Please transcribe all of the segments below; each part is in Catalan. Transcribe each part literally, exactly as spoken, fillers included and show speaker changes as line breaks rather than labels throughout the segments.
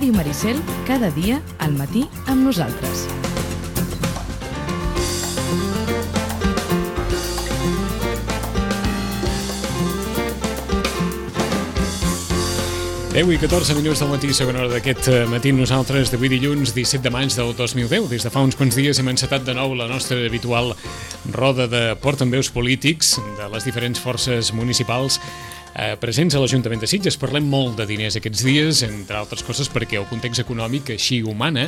Ràdio Maricel, cada dia al matí amb nosaltres.
deu i catorze minuts del matí, segona hora d'aquest matí nosaltres d'avui dilluns disset de maig del dos mil deu. Des de fa uns quants dies hem encetat de nou la nostra habitual roda de portaveus polítics de les diferents forces municipals eh, presents a l'Ajuntament de Sitges. Parlem molt de diners aquests dies, entre altres coses perquè el context econòmic així ho mana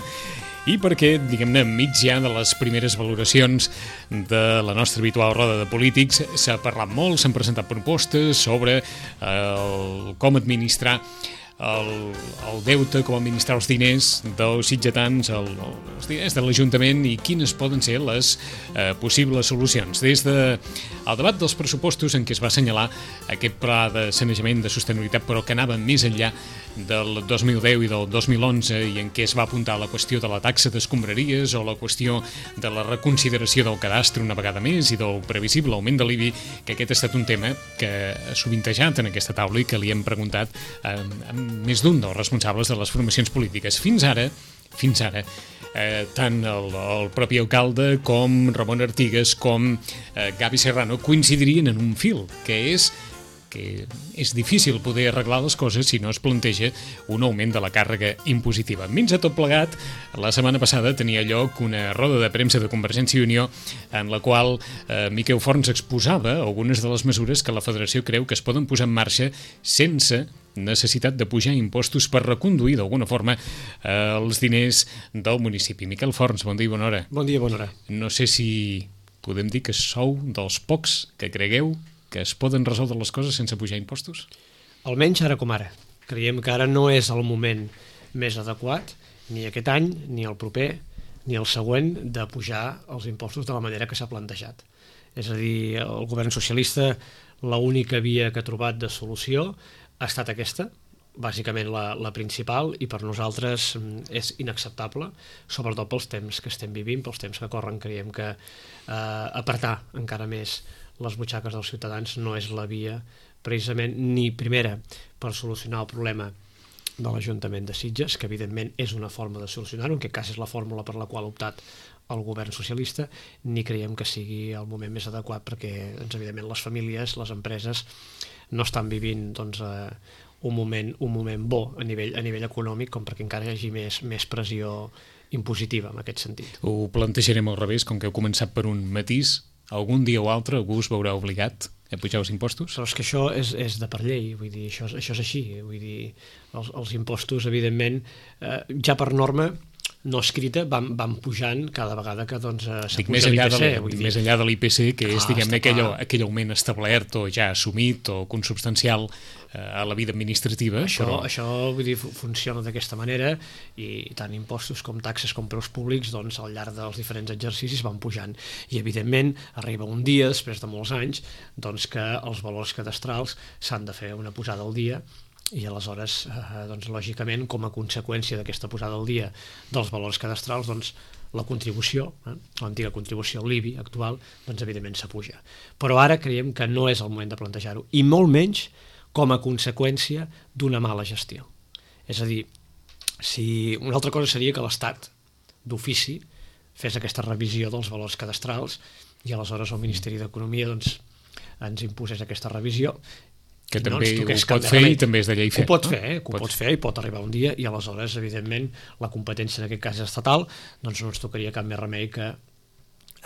i perquè, diguem-ne, enmig ja de les primeres valoracions de la nostra habitual roda de polítics s'ha parlat molt, s'han presentat propostes sobre eh, el, com administrar El, el deute, com administrar els diners dels sitgetans, el, els diners de l'Ajuntament i quines poden ser les eh, possibles solucions. Des del de, debat dels pressupostos en què es va assenyalar aquest pla de sanejament de sostenibilitat, però que anava més enllà del dos mil deu i del dos mil onze i en què es va apuntar la qüestió de la taxa d'escombraries o la qüestió de la reconsideració del cadastre una vegada més i del previsible augment de l'I B I, que aquest ha estat un tema que ha sovintejat en aquesta taula i que li hem preguntat eh, més d'un dels responsables de les formacions polítiques. Fins ara, fins ara, eh, tant el, el propi alcalde com Ramon Artigas com eh, Gavi Serrano coincidirien en un fil, que és que és difícil poder arreglar les coses si no es planteja un augment de la càrrega impositiva. Menys a tot plegat, la setmana passada tenia lloc una roda de premsa de Convergència i Unió en la qual eh, Miquel Forns exposava algunes de les mesures que la Federació creu que es poden posar en marxa sense necessitat de pujar impostos per reconduir d'alguna forma eh, els diners del municipi. Miquel Forns, bon dia i bona hora.
Bon dia i bona hora.
No sé si podem dir que sou dels pocs que cregueu que es poden resoldre les coses sense pujar impostos?
Almenys ara com ara. Creiem que ara no és el moment més adequat, ni aquest any, ni el proper, ni el següent, de pujar els impostos de la manera que s'ha plantejat. És a dir, el govern socialista, l'única via que ha trobat de solució ha estat aquesta, bàsicament la, la principal, i per nosaltres és inacceptable, sobretot pels temps que estem vivint, pels temps que corren. Creiem que eh, apretar encara més les butxaques dels ciutadans no és la via, precisament, ni primera per solucionar el problema de l'Ajuntament de Sitges, que evidentment és una forma de solucionar-ho, en aquest cas és la fórmula per la qual ha optat el govern socialista, ni creiem que sigui el moment més adequat perquè, doncs, evidentment, les famílies, les empreses no estan vivint doncs, eh, un, moment, un moment bo a nivell, a nivell econòmic com perquè encara hi hagi més, més pressió impositiva en aquest sentit.
Ho plantejarem al revés, com que heu començat per un matís. Algun dia o altre algú us veurà obligat a pujar els impostos?
Però és que això és, és de per llei, vull dir, això, això és així, vull dir, els, els impostos, evidentment, eh, ja per norma no escrita, van, van pujant cada vegada que doncs, s'apuja l'I P C.
Vull dir, més enllà de l'I P C, que és, diguem-ne, aquell, aquell augment establert o ja assumit o consubstancial eh, a la vida administrativa.
Això,
però...
això vull dir, funciona d'aquesta manera i tant impostos com taxes com preus públics doncs, al llarg dels diferents exercicis van pujant. I, evidentment, arriba un dia, després de molts anys, doncs, que els valors cadastrals s'han de fer una posada al dia i aleshores, eh, doncs, lògicament, com a conseqüència d'aquesta posada al dia dels valors cadastrals, doncs, la contribució, eh, l'antiga contribució, l'I B I actual, doncs, evidentment, s'apuja. Però ara creiem que no és el moment de plantejar-ho, i molt menys com a conseqüència d'una mala gestió. És a dir, si una altra cosa seria que l'Estat, d'ofici, fes aquesta revisió dels valors cadastrals i aleshores el Ministeri d'Economia doncs, ens imposés aquesta revisió,
que
no
també ho pot fer i també és de llei fer.
Ho pot fer, eh? ho pot fer i pot arribar un dia i aleshores, evidentment, la competència en aquest cas estatal, doncs no ens tocaria cap més remei que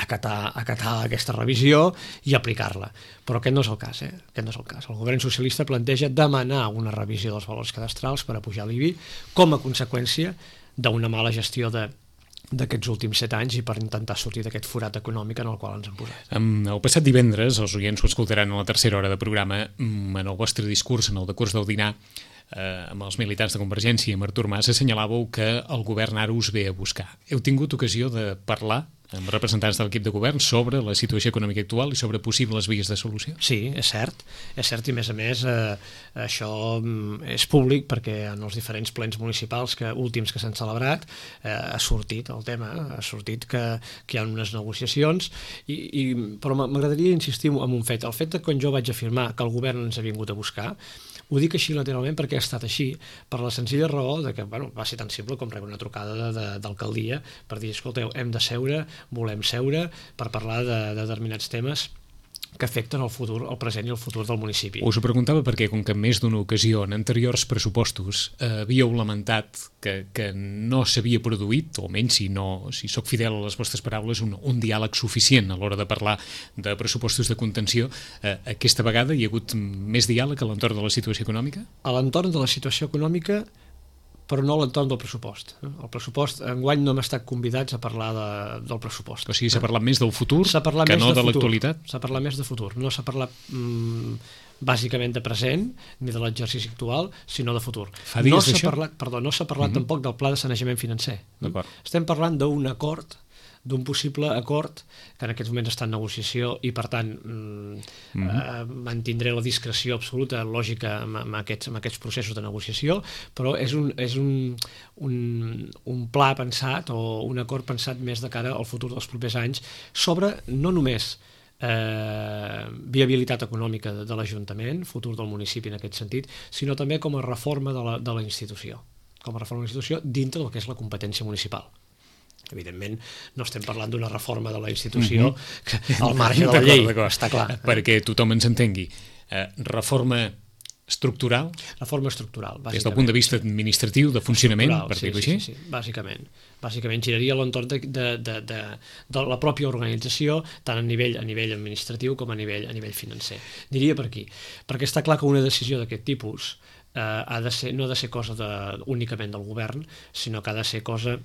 acatar, acatar aquesta revisió i aplicar-la. Però aquest no és el cas, eh? Aquest no és el cas. El govern socialista planteja demanar una revisió dels valors cadastrals per a pujar l'I B I com a conseqüència d'una mala gestió de d'aquests últims set anys i per intentar sortir d'aquest forat econòmic en el qual ens hem posat.
El passat divendres, els oients ho escoltaran a la tercera hora de programa, en el vostre discurs, en el decurs del dinar, eh, amb els militants de Convergència i amb Artur Mas, assenyalàveu que el govern ara us ve a buscar. Heu tingut ocasió de parlar amb representants de l'equip de govern sobre la situació econòmica actual i sobre possibles vies de solució?
Sí, és cert, és cert i a més a més eh, això és públic perquè en els diferents plens municipals que, últims que s'han celebrat eh, ha sortit el tema, ha sortit que, que hi ha unes negociacions i, i, però m'agradaria insistir en un fet, el fet que quan jo vaig afirmar que el govern ens ha vingut a buscar Ho dic així lateralment perquè ha estat així, per la senzilla raó de que bueno, va ser tan simple com rebre una trucada de, de, d'alcaldia per dir, escolteu, hem de seure, volem seure per parlar de, de determinats temes que afecten el futur, el present i el futur del municipi.
Us ho preguntava perquè, com que en més d'una ocasió, en anteriors pressupostos, eh, havíeu lamentat que, que no s'havia produït, o menys si no, si sóc fidel a les vostres paraules, un, un diàleg suficient a l'hora de parlar de pressupostos de contenció. Eh, aquesta vegada hi ha hagut més diàleg a l'entorn de la situació econòmica?
A l'entorn de la situació econòmica, però no a l'entorn del pressupost. El pressupost, enguany no hem estat convidats a parlar de, del pressupost.
O sigui, s'ha parlat més del futur que no de, de l'actualitat?
S'ha parlat més de futur. No s'ha parlat mm, bàsicament de present, ni de l'exercici actual, sinó de futur.
Fa dies
no s'ha
d'això?
Parlat, perdó, no s'ha parlat mm-hmm. tampoc del pla de sanejament financer.
D'acord.
Estem parlant d'un acord d'un possible acord que en aquests moments està en negociació i per tant mm-hmm. eh, mantindré la discreció absoluta lògica amb, amb, aquests, amb aquests processos de negociació, però és, un, és un, un, un pla pensat o un acord pensat més de cara al futur dels propers anys sobre no només eh, viabilitat econòmica de, de l'Ajuntament, futur del municipi en aquest sentit, sinó també com a reforma de la, de la institució, com a reforma de la institució dintre del que és la competència municipal. Evidentment, no estem parlant d'una reforma de la institució mm-hmm. al marge de la llei, està clar.
Perquè tothom ens entengui. Eh, reforma estructural?
Reforma estructural, bàsicament.
Des del punt de vista administratiu, de funcionament, per
sí,
dir-ho
sí,
així?
Sí, sí, bàsicament. Bàsicament giraria a l'entorn de, de, de, de, de la pròpia organització, tant a nivell, a nivell administratiu com a nivell, a nivell financer. Diria per aquí, perquè està clar que una decisió d'aquest tipus eh, ha de ser, no ha de ser cosa de, únicament del govern, sinó que ha de ser cosa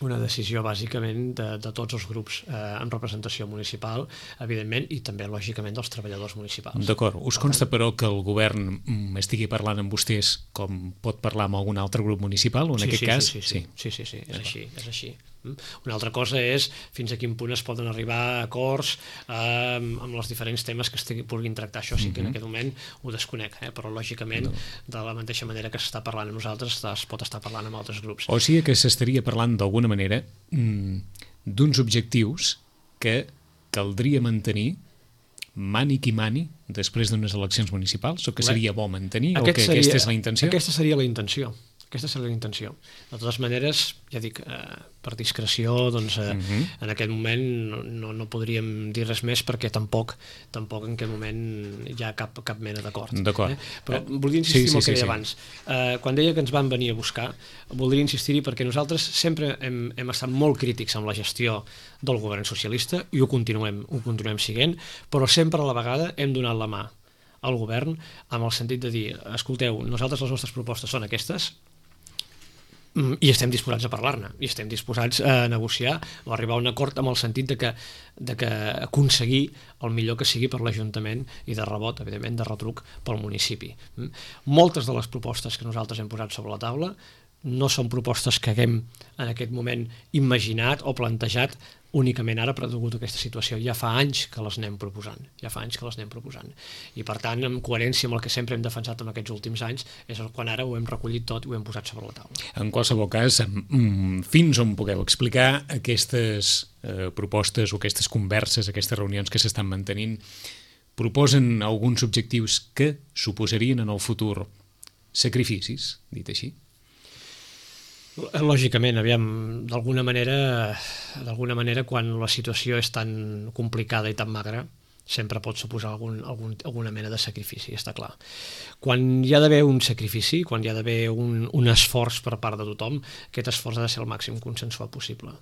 una decisió bàsicament de, de tots els grups eh, amb representació municipal, evidentment, i també, lògicament, dels treballadors municipals.
D'acord. Us consta, però, que el govern estigui parlant amb vostès com pot parlar amb algun altre grup municipal, o en
sí,
aquest
sí,
cas?
Sí, sí, sí, sí, sí, sí, és així, és així. Una altra cosa és fins a quin punt es poden arribar a acords eh, amb els diferents temes que es puguin tractar. Això sí que en aquest moment ho desconec, eh? Però lògicament de la mateixa manera que s'està parlant amb nosaltres es pot estar parlant amb altres grups.
O sigui que s'estaria parlant d'alguna manera d'uns objectius que caldria mantenir mani qui mani després d'unes eleccions municipals, o que seria bo mantenir, o que
seria,
aquesta és la intenció?
Aquesta seria la intenció. Aquesta seria la intenció. De totes maneres, ja dic, eh, per discreció, doncs, eh, uh-huh. en aquest moment no, no, no podríem dir res més perquè tampoc, tampoc en aquest moment hi ha cap, cap mena d'acord.
D'acord.
Eh? Però eh, voldria insistir sí, en el sí, que deia sí, abans. Eh, quan deia que ens van venir a buscar, voldria insistir-hi perquè nosaltres sempre hem, hem estat molt crítics amb la gestió del govern socialista i ho continuem, ho continuem siguent, però sempre a la vegada hem donat la mà al govern amb el sentit de dir, escolteu, nosaltres les nostres propostes són aquestes, i estem disposats a parlar-ne, i estem disposats a negociar o a arribar a un acord amb el sentit de que, de que aconseguir el millor que sigui per l'Ajuntament i de rebot, evidentment, de retruc pel municipi. Moltes de les propostes que nosaltres hem posat sobre la taula no són propostes que haguem en aquest moment imaginat o plantejat únicament ara per degut a aquesta situació. Ja fa anys que les anem proposant, ja fa anys que les anem proposant. I per tant, en coherència amb el que sempre hem defensat en aquests últims anys, és quan ara ho hem recollit tot i ho hem posat sobre la taula.
En qualsevol cas, fins on pugueu explicar aquestes eh, propostes o aquestes converses, aquestes reunions que s'estan mantenint, proposen alguns objectius que suposarien en el futur sacrificis, dit així?
Lògicament, aviam, d'alguna manera, d'alguna manera, quan la situació és tan complicada i tan magra, sempre pot suposar algun, algun, alguna mena de sacrifici, està clar. Quan hi ha d'haver un sacrifici, quan hi ha d'haver un, un esforç per part de tothom, aquest esforç ha de ser el màxim consensuat possible.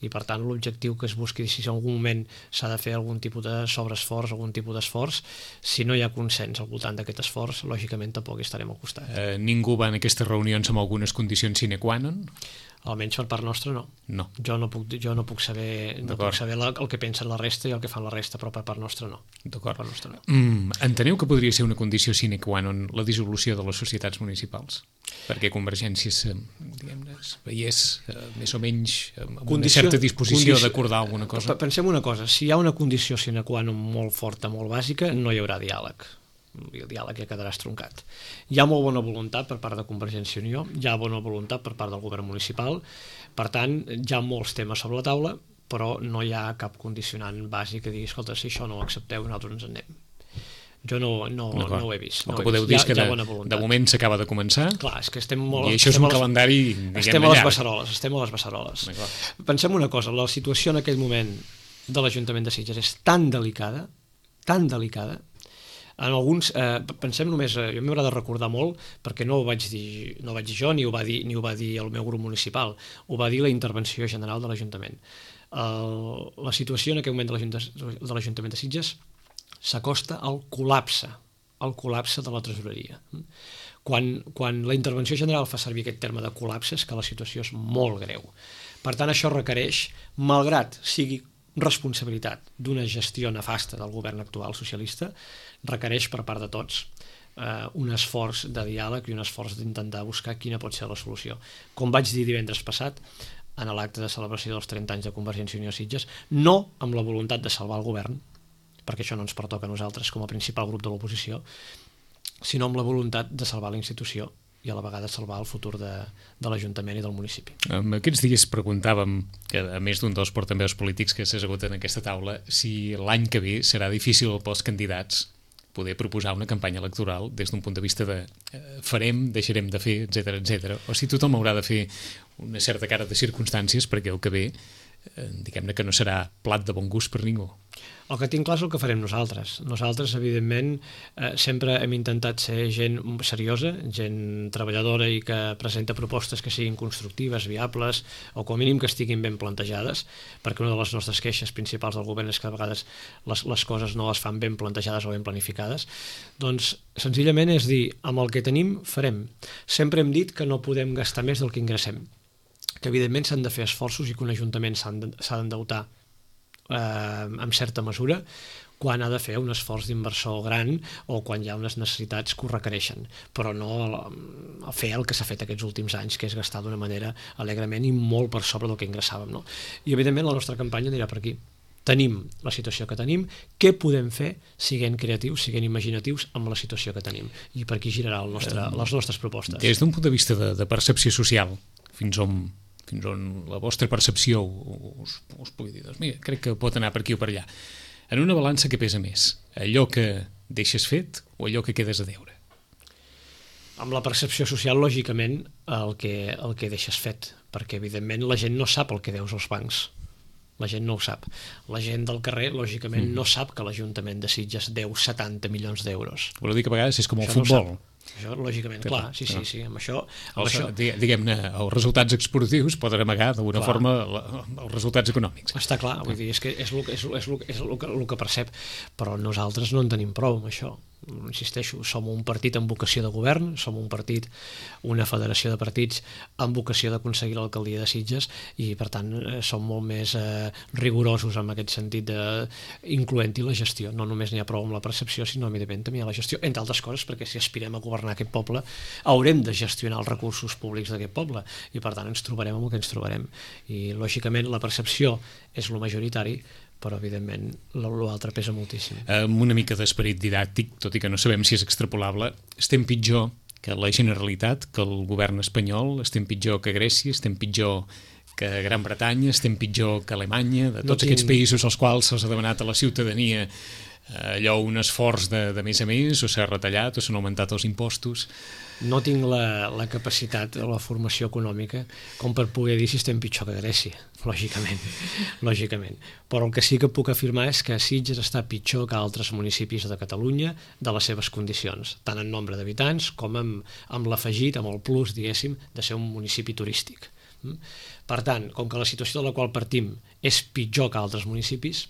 I per tant, l'objectiu que es busqui, si en algun moment s'ha de fer algun tipus de sobreesforç, algun tipus d'esforç, si no hi ha consens al voltant d'aquest esforç, lògicament tampoc hi estarem al costat.
Eh, ningú va en aquestes reunions amb algunes condicions sine qua non?
Almenys per part nostra no.
No.
Jo no puc, jo no puc saber, no puc saber la, el que pensen la resta i el que fan la resta, però per part nostra no.
D'acord.
Per part nostra no.
Mm, enteneu que podria ser una condició sine qua non la dissolució de les societats municipals? Perquè Convergència diguem-ne, es veiés eh, més o menys amb condició, una certa disposició condició, d'acordar alguna cosa.
Pensem una cosa, si hi ha una condició sine qua non molt forta, molt bàsica, no hi haurà diàleg. El diàleg ja quedarà estroncat. Hi ha molt bona voluntat per part de Convergència i Unió, hi ha bona voluntat per part del govern municipal, per tant, hi ha molts temes sobre la taula, però no hi ha cap condicionant bàsic que digui, escolta, si això no ho accepteu, nosaltres ens en anem. Jo no, no, no ho he vist.
El
no
que podeu dir és que de, de moment s'acaba de començar.
Clar, és que estem molt...
I això és un
les,
calendari,
estem a les beceroles, estem a les beceroles. Pensem una cosa, la situació en aquell moment de l'Ajuntament de Sitges és tan delicada, tan delicada, en alguns, eh, pensem només, eh, jo m'haurà de recordar molt, perquè no ho vaig dir, no ho vaig dir jo, ni ho va dir, ni ho va dir el meu grup municipal, ho va dir la intervenció general de l'Ajuntament. El, la situació en aquell moment de l'Ajuntament de Sitges s'acosta al col·lapse, al col·lapse de la tresoreria. Quan, quan la intervenció general fa servir aquest terme de col·lapse és que la situació és molt greu. Per tant, això requereix, malgrat sigui responsabilitat d'una gestió nefasta del govern actual socialista, requereix per part de tots eh, un esforç de diàleg i un esforç d'intentar buscar quina pot ser la solució. Com vaig dir divendres passat, en l'acte de celebració dels trenta anys de Convergència i Unió a Sitges, no amb la voluntat de salvar el govern, perquè això no ens pertoca a nosaltres com a principal grup de l'oposició, sinó amb la voluntat de salvar la institució i a la vegada salvar el futur de, de l'Ajuntament i del municipi.
En aquests dies preguntàvem, que a més d'un dels portaveus polítics que s'ha assegut en aquesta taula, si l'any que ve serà difícil pels candidats poder proposar una campanya electoral des d'un punt de vista de eh, farem, deixarem de fer, etcètera, etcètera, o si tothom haurà de fer una certa cara de circumstàncies perquè el que ve eh, diguem-ne que no serà plat de bon gust per ningú.
El que tinc clar és el que farem nosaltres. Nosaltres, evidentment, eh, sempre hem intentat ser gent seriosa, gent treballadora i que presenta propostes que siguin constructives, viables, o com a mínim que estiguin ben plantejades, perquè una de les nostres queixes principals del govern és que a vegades les, les coses no les fan ben plantejades o ben planificades. Doncs, senzillament és dir, amb el que tenim, farem. Sempre hem dit que no podem gastar més del que ingressem, que evidentment s'han de fer esforços i que un ajuntament s'ha d'endeutar Eh, en certa mesura quan ha de fer un esforç d'inversor gran o quan hi ha unes necessitats que ho requereixen, però no el, el fer el que s'ha fet aquests últims anys, que és gastar d'una manera alegrement i molt per sobre del que ingressàvem, no? I evidentment la nostra campanya anirà per aquí. Tenim la situació que tenim, què podem fer siguent creatius, siguent imaginatius amb la situació que tenim, i per aquí girarà el nostre, les nostres propostes.
Des d'un punt de vista de, de percepció social, fins on fins on la vostra percepció us, us pugui dir, doncs mira, crec que pot anar per aquí o per allà. En una balança què pesa més? Allò que deixes fet o allò que quedes a deure?
Amb la percepció social, lògicament, el que, el que deixes fet, perquè evidentment la gent no sap el que deus als bancs. La gent no ho sap. La gent del carrer, lògicament, mm. no sap que l'Ajuntament de Sitges deu setanta milions d'euros.
Voleu dir que a vegades és com el
això
futbol?
No això, lògicament, clar, sí, sí, sí, amb això... Amb
els,
això...
Diguem-ne, els resultats esportius poden amagar d'alguna forma la, els resultats econòmics.
Està clar, vull dir, és que és el, és, és, el, és el, que, el que percep, però nosaltres no en tenim prou amb això. Insisteixo, som un partit amb vocació de govern, som un partit, una federació de partits amb vocació d'aconseguir l'alcaldia de Sitges i, per tant, som molt més eh, rigorosos en aquest sentit de incloent-hi la gestió. No només n'hi ha prou amb la percepció, sinó, evidentment, també hi ha la gestió, entre altres coses, perquè si aspirem a governar aquest poble, haurem de gestionar els recursos públics d'aquest poble i, per tant, ens trobarem amb el que ens trobarem. I, lògicament, la percepció és el majoritari, però evidentment l'altre pesa moltíssim.
Amb una mica d'esperit didàctic, tot i que no sabem si és extrapolable, estem pitjor que la Generalitat, que el govern espanyol, estem pitjor que Grècia, estem pitjor que Gran Bretanya, estem pitjor que Alemanya, de tots no tinc... aquests països als quals se'ls ha demanat a la ciutadania allò un esforç de, de més a més, o s'ha retallat o s'han augmentat els impostos.
No tinc la, la capacitat o la formació econòmica com per poder dir si estem pitjor que Grècia, lògicament, lògicament. Però el que sí que puc afirmar és que Sitges està pitjor que altres municipis de Catalunya de les seves condicions, tant en nombre d'habitants com amb, amb l'afegit, amb el plus, diguéssim, de ser un municipi turístic. Per tant, com que la situació de la qual partim és pitjor que altres municipis,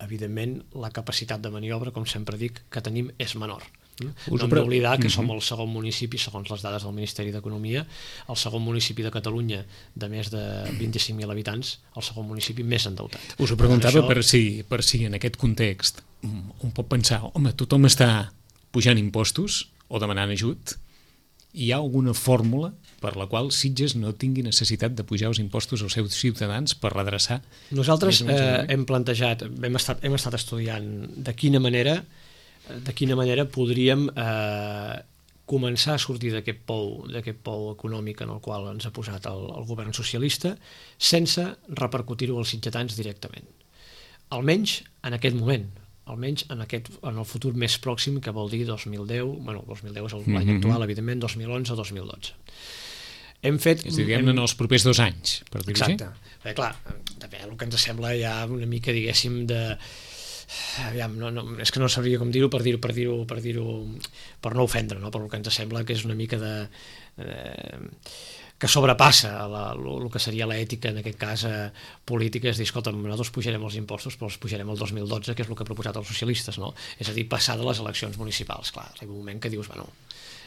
evidentment la capacitat de maniobra, com sempre dic, que tenim és menor. No hem d'oblidar que som el segon municipi, segons les dades del Ministeri d'Economia, el segon municipi de Catalunya de més de vint-i-cinc mil habitants, el segon municipi més endeutat.
Us ho preguntava per si, per si en aquest context un pot pensar, home, tothom està pujant impostos o demanant ajut, hi ha alguna fórmula per la qual Sitges no tingui necessitat de pujar els impostos als seus ciutadans per redreçar?
Nosaltres eh, hem plantejat, hem estat, hem estat estudiant de quina manera de quina manera podríem eh, començar a sortir d'aquest pou, d'aquest pou econòmic en el qual ens ha posat el, el govern socialista sense repercutir-ho als sitgetans directament. Almenys en aquest moment. almenys en, aquest, en el futur més pròxim, que vol dir dos mil deu, bueno, dos mil deu és l'any mm-hmm. actual, evidentment, dos mil onze dos mil dotze. Hem fet...
És a dir, diguem-ne, en els propers dos anys, per dir-ho així.
Exacte. Perquè, clar, també el que ens sembla ja una mica, diguéssim, de... Aviam, no, no, és que no sabria com dir-ho per dir-ho per dir-ho per dir-ho per no ofendre, no? Per el que ens sembla que és una mica de eh, que sobrepassa el que seria l'ètica, en aquest cas eh, política, és dir, escolta, nosaltres pujarem els impostos però els pujarem el dos mil dotze, que és el que ha proposat els socialistes, no? És a dir, passar de les eleccions municipals. Clar, arriba un moment que dius, bueno,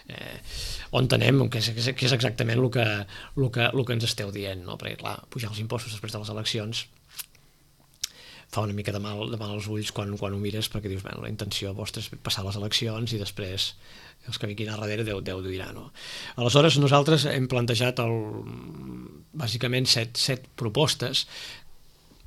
eh, on anem, que és, que és exactament el que, el, que, el que ens esteu dient, no? Perquè clar, pujar els impostos després de les eleccions fa una mica de mal, de mal als ulls quan, quan ho mires, perquè dius, bueno, la intenció vostra és passar les eleccions i després els que vinguin a darrere Déu, Déu dirà, no? Aleshores, nosaltres hem plantejat el, bàsicament set, set propostes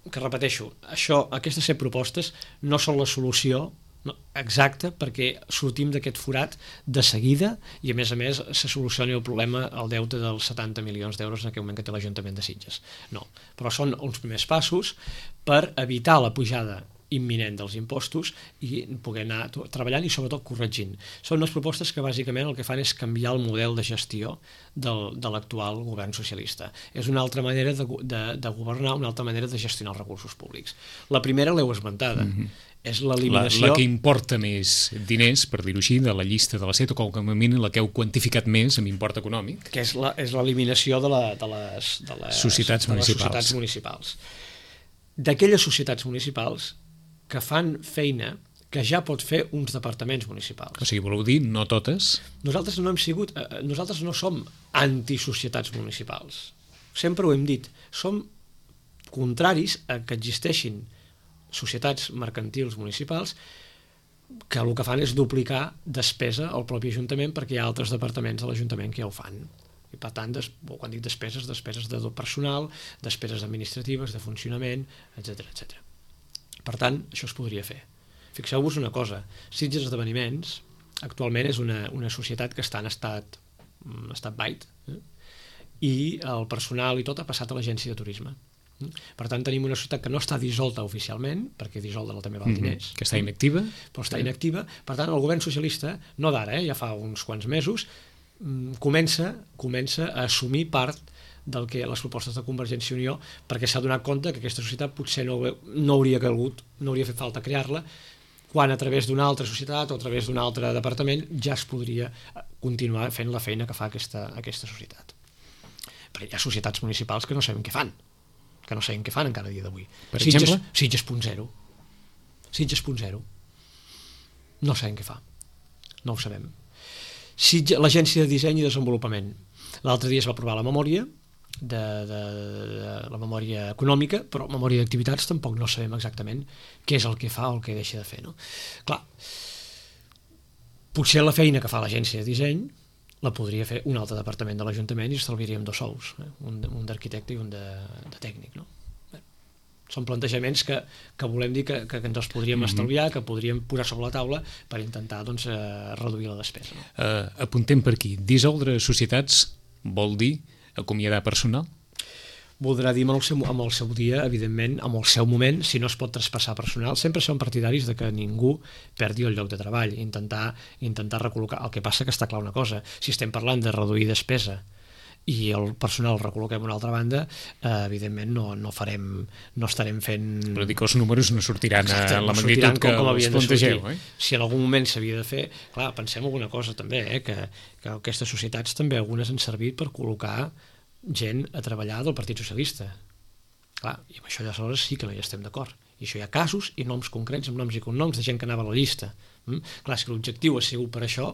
que, repeteixo, això, aquestes set propostes no són la solució no, exacta perquè sortim d'aquest forat de seguida i a més a més se solucioni el problema, el deute dels setanta milions d'euros en aquell moment que té l'Ajuntament de Sitges. No, però són uns primers passos per evitar la pujada imminent dels impostos i poder anar treballant i sobretot corregint. Són unes propostes que bàsicament el que fan és canviar el model de gestió del, de l'actual govern socialista. És una altra manera de, de, de governar, una altra manera de gestionar els recursos públics. La primera l'heu esmentada, mm-hmm. és l'eliminació...
La, la que importa més diners, per dir-ho així, de la llista de la set, o com a mínim la que heu quantificat més amb import econòmic.
Que és l'eliminació de, la, de, les, de, les,
societats,
de les
municipals.
societats municipals. D'aquelles societats municipals que fan feina que ja pot fer uns departaments municipals.
O sigui, voleu dir, no totes?
Nosaltres no hem sigut... Eh, nosaltres no som antisocietats municipals. Sempre ho hem dit. Som contraris a que existeixin societats mercantils municipals que el que fan és duplicar despesa al propi Ajuntament perquè hi ha altres departaments de l'Ajuntament que ja ho fan. I per tant, des, quan dic despeses, despeses de personal, despeses administratives, de funcionament, etcètera, etcètera. Per tant, això es podria fer. Fixeu-vos una cosa, Sitges Esdeveniments actualment és una, una societat que està en estat, estat bait, eh? I el personal i tot ha passat a l'agència de turisme. Per tant, tenim una societat que no està dissolta oficialment, perquè dissoldre-la també val diners.
Mm-hmm. Que està inactiva.
Però està inactiva. Per tant, el govern socialista, no d'ara, eh, ja fa uns quants mesos, comença, comença a assumir part del que les propostes de Convergència i Unió, perquè s'ha donat compte que aquesta societat potser no, no hauria calgut, no hauria fet falta crear-la, quan a través d'una altra societat o a través d'un altre departament ja es podria continuar fent la feina que fa aquesta, aquesta societat. Perquè hi ha societats municipals que no sabem què fan, que no sabem què fan encara a dia d'avui.
Per
Sitges,
exemple?
Sitges punt zero. Sitges punt zero. No sabem què fa. No ho sabem. Sitges, l'Agència de Disseny i Desenvolupament. L'altre dia es va aprovar la memòria, de, de, de la memòria econòmica, però memòria d'activitats tampoc no sabem exactament què és el que fa o el que deixa de fer. No? Clar, potser la feina que fa l'Agència de Disseny la podria fer un altre departament de l'Ajuntament i estalviaríem dos sous, eh? un, un d'arquitecte i un de, de tècnic. No? Bé, són plantejaments que, que volem dir que, que ens els podríem mm-hmm. estalviar, que podríem posar sobre la taula per intentar doncs, eh, reduir la despesa. No?
Uh, apuntem per aquí. Dissoldre societats vol dir acomiadar personal?
Voldrà dir amb el, seu, amb el seu dia, evidentment, amb el seu moment, si no es pot traspassar personal. Sempre som partidaris de que ningú perdi el lloc de treball, intentar, intentar recol·locar. El que passa que està clar una cosa, si estem parlant de reduir despesa i el personal el recol·loquem a una altra banda, eh, evidentment no, no farem, no estarem fent...
Però dic que els números no sortiran
Exacte,
a la
no
magnitud que
com, com
els plantegeu. Eh?
Si en algun moment s'havia de fer... Clar, pensem alguna cosa també, eh, que, que aquestes societats també algunes han servit per col·locar gent a treballar del Partit Socialista. Clar, i amb això ja aleshores sí que no hi estem d'acord. I això hi ha casos i noms concrets, amb noms i cognoms de gent que anava a la llista. Mm? Clar, si l'objectiu ha sigut per això,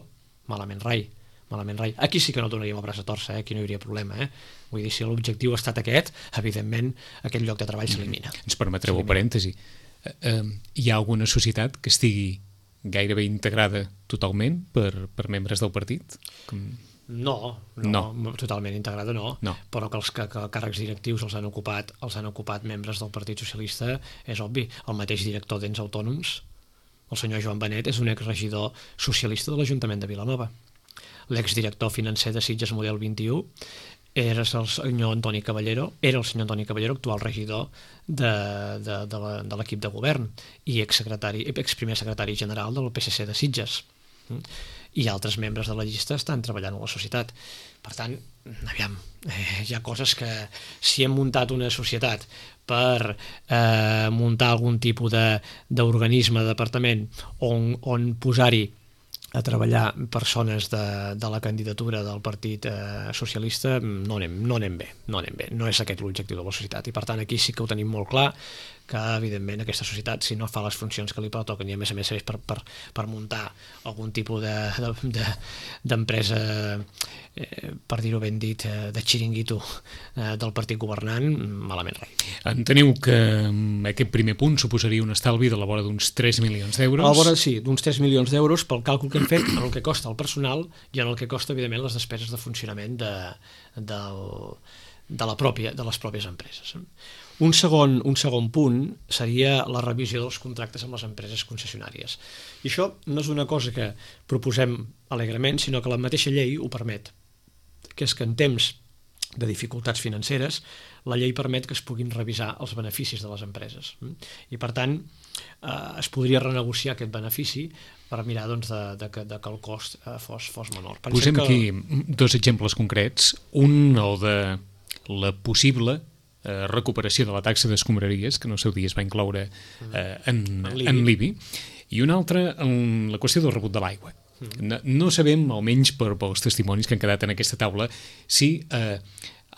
malament rai. Malament rai. Aquí sí que no donaríem el braç a torça, eh? Aquí no hi hauria problema. Eh? Vull dir, si l'objectiu ha estat aquest, evidentment aquest lloc de treball s'elimina.
Ens permetreu un parèntesi. Uh, uh, hi ha alguna societat que estigui gairebé integrada totalment per, per membres del partit? Com...
No, no, no, totalment integrada no,
no.
Però que els que, que càrrecs directius els han ocupat els han ocupat membres del Partit Socialista és obvi. El mateix director d'Ens Autònoms, el senyor Joan Benet, és un exregidor socialista de l'Ajuntament de Vilanova. L'exdirector financer de Sitges Model vint i u era el senyor Antoni Caballero, era el senyor Antoni Caballero, actual regidor de, de, de l'equip de govern i ex-secretari, ex-primer secretari general del P S C de Sitges. I altres membres de la llista estan treballant a la societat. Per tant, aviam, eh, hi ha coses que si hem muntat una societat per eh, muntar algun tipus d'organisme, de, departament on, on posar-hi a treballar persones de, de la candidatura del Partit eh, Socialista, no anem, no anem bé, no anem bé, no és aquest l'objectiu de la societat, i per tant aquí sí que ho tenim molt clar, que evidentment aquesta societat, si no fa les funcions que li pertoquen i a més a més serveix per, per, per muntar algun tipus d'empresa, de, de, eh, per dir-ho ben dit, eh, de xiringuito eh, del partit governant, malament rai.
Enteniu que aquest primer punt suposaria un estalvi de la vora d'uns tres milions d'euros?
A la vora, sí, d'uns tres milions d'euros pel càlcul que hem fet en el que costa el personal i en el que costa, evidentment, les despeses de funcionament de, de, de, la pròpia, de les pròpies empreses. Un segon, un segon punt seria la revisió dels contractes amb les empreses concessionàries. I això no és una cosa que proposem alegrement, sinó que la mateixa llei ho permet, que és que en temps de dificultats financeres la llei permet que es puguin revisar els beneficis de les empreses. I per tant eh, es podria renegociar aquest benefici per mirar doncs, de, de, de, de que el cost eh, fos, fos menor. Pensem
Posem
que...
aquí dos exemples concrets. Un, el de la possible eh, recuperació de la taxa d'escombraries, que en el seu dia es va incloure eh, en, en l'I B I, i un altre, en la qüestió del rebut de l'aigua. No, no sabem, almenys per, pels testimonis que han quedat en aquesta taula, si eh,